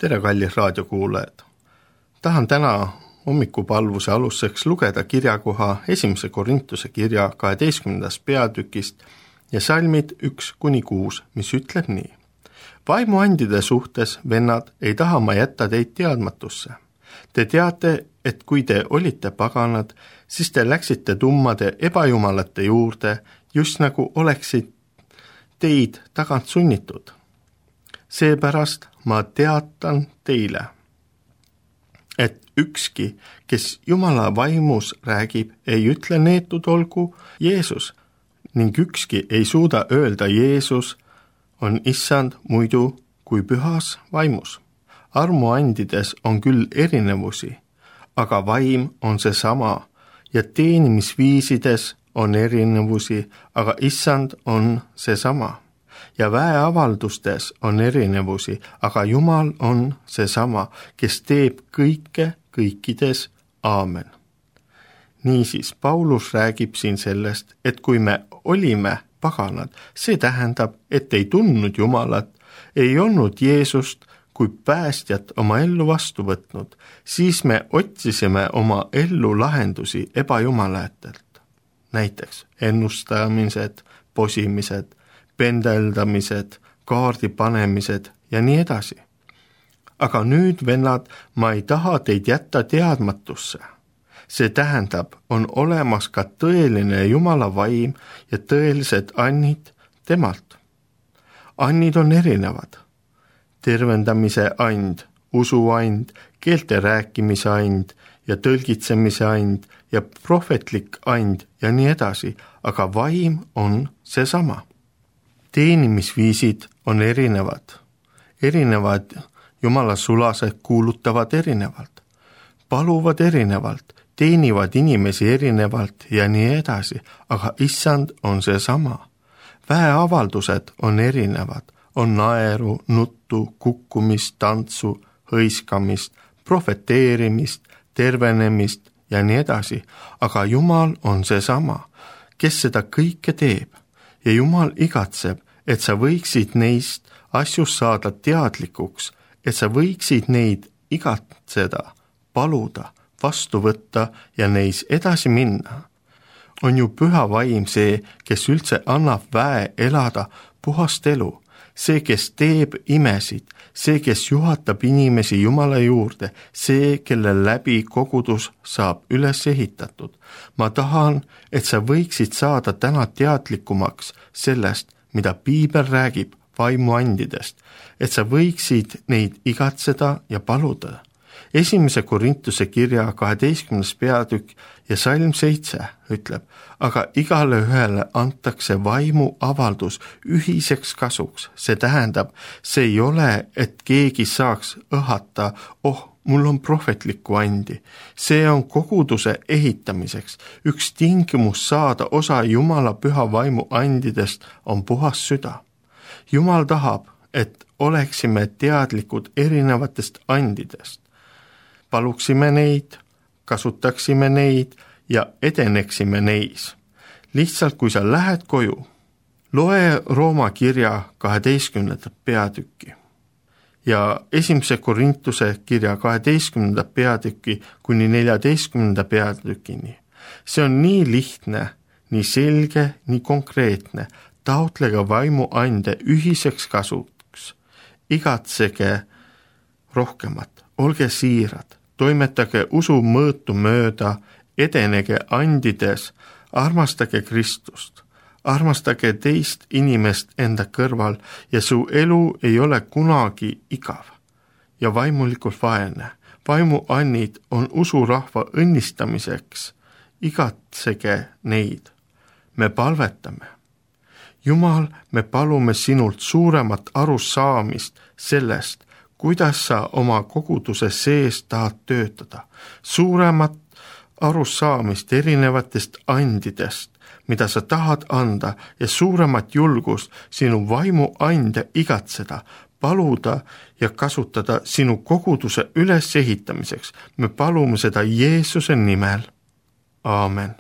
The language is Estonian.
tere, kallid raadiokuulajad! Tahan täna hommikupalvuse aluseks lugeda kirjakoha 1. Korintuse kirja 12. peatükist ja salmid 1-6, mis ütleb nii. Vaimuandide suhtes, vennad, ei taha ma jätta teid teadmatusse. Te teate, et kui te olite paganad, siis te läksite tummade ebajumalate juurde, just nagu oleksid teid tagant sunnitud. Seepärast ma teatan teile, et ükski, kes Jumala vaimus räägib, ei ütle neetud olgu Jeesus ning ükski ei suuda öelda Jeesus on issand muidu kui pühas vaimus. Armuandides on küll erinevusi, aga vaim on seesama ja teenimisviisides on erinevusi, aga issand on seesama. Ja väeavaldustes on erinevusi, aga Jumal on seesama, kes teeb kõike kõikides. Aamen. Niisiis, Paulus räägib siin sellest, et kui me olime paganad, see tähendab, et ei tundnud Jumalat, ei olnud Jeesust kui päästjat oma ellu vastu võtnud, siis me otsisime oma ellu lahendusi ebajumalatelt. Näiteks ennustamised, posimised, pendeldamised, kaardi panemised ja nii edasi. Aga nüüd, vennad, ma ei taha teid jätta teadmatusse. See tähendab, on olemas ka tõeline Jumala vaim ja tõelised annid temalt. Annid on erinevad. Tervendamise and, usuand, keelte rääkimise and ja tõlgitsemise and ja prohvetlik and ja nii edasi, aga vaim on seesama. Teenimisviisid on erinevad Jumala sulased kuulutavad erinevalt, paluvad erinevalt, teenivad inimesi erinevalt ja nii edasi, aga issand on seesama. Väeavaldused on erinevad, on naeru, nuttu, kukkumist, tantsu, hõiskamist, profeteerimist, tervenemist ja nii edasi, aga Jumal on seesama, kes seda kõike teeb. Ja Jumal igatseb, et sa võiksid neist asjust saada teadlikuks, et sa võiksid neid igatseda, paluda, vastu võtta ja neis edasi minna. On ju püha vaim see, kes üldse annab väe elada puhast elu, see, kes teeb imesid, see, kes juhatab inimesi Jumala juurde, see, kelle läbi kogudus saab üles ehitatud. Ma tahan, et sa võiksid saada täna teadlikumaks sellest, mida Piibel räägib vaimuandidest, et sa võiksid neid igatseda ja paluda. 1. Korintuse kirja 12. peatükk ja salm 7 ütleb, aga igale ühele antakse vaimu avaldus ühiseks kasuks. See tähendab, see ei ole, et keegi saaks õhata, mul on prohvetlikku andi. See on koguduse ehitamiseks. Üks tingimus saada osa Jumala püha vaimu andidest on puhas süda. Jumal tahab, et oleksime teadlikud erinevatest andidest. Paluksime neid, kasutaksime neid ja edeneksime neis. Lihtsalt kui sa lähed koju, loe Rooma kirja 12. peatükki ja 1. Korintuse kirja 12. peatükki kuni 14. peatükini. See on nii lihtne, nii selge, nii konkreetne. Taotlege vaimu ande ühiseks kasuks. Igatsege rohkemat, olge siirad. Toimetage usu mõõtu mööda, edenege andides, armastage Kristust, armastage teist inimest enda kõrval ja su elu ei ole kunagi igav ja vaimulikult vaene. Vaimu annid on usurahva õnnistamiseks, igatsege neid. Me palvetame. Jumal, me palume sinult suuremat arusaamist sellest, kuidas sa oma koguduse sees tahad töötada, suuremat arusaamist erinevatest andidest, mida sa tahad anda ja suuremat julgust sinu vaimu ande igatseda, paluda ja kasutada sinu koguduse ülesehitamiseks. Me palume seda Jeesuse nimel. Aamen.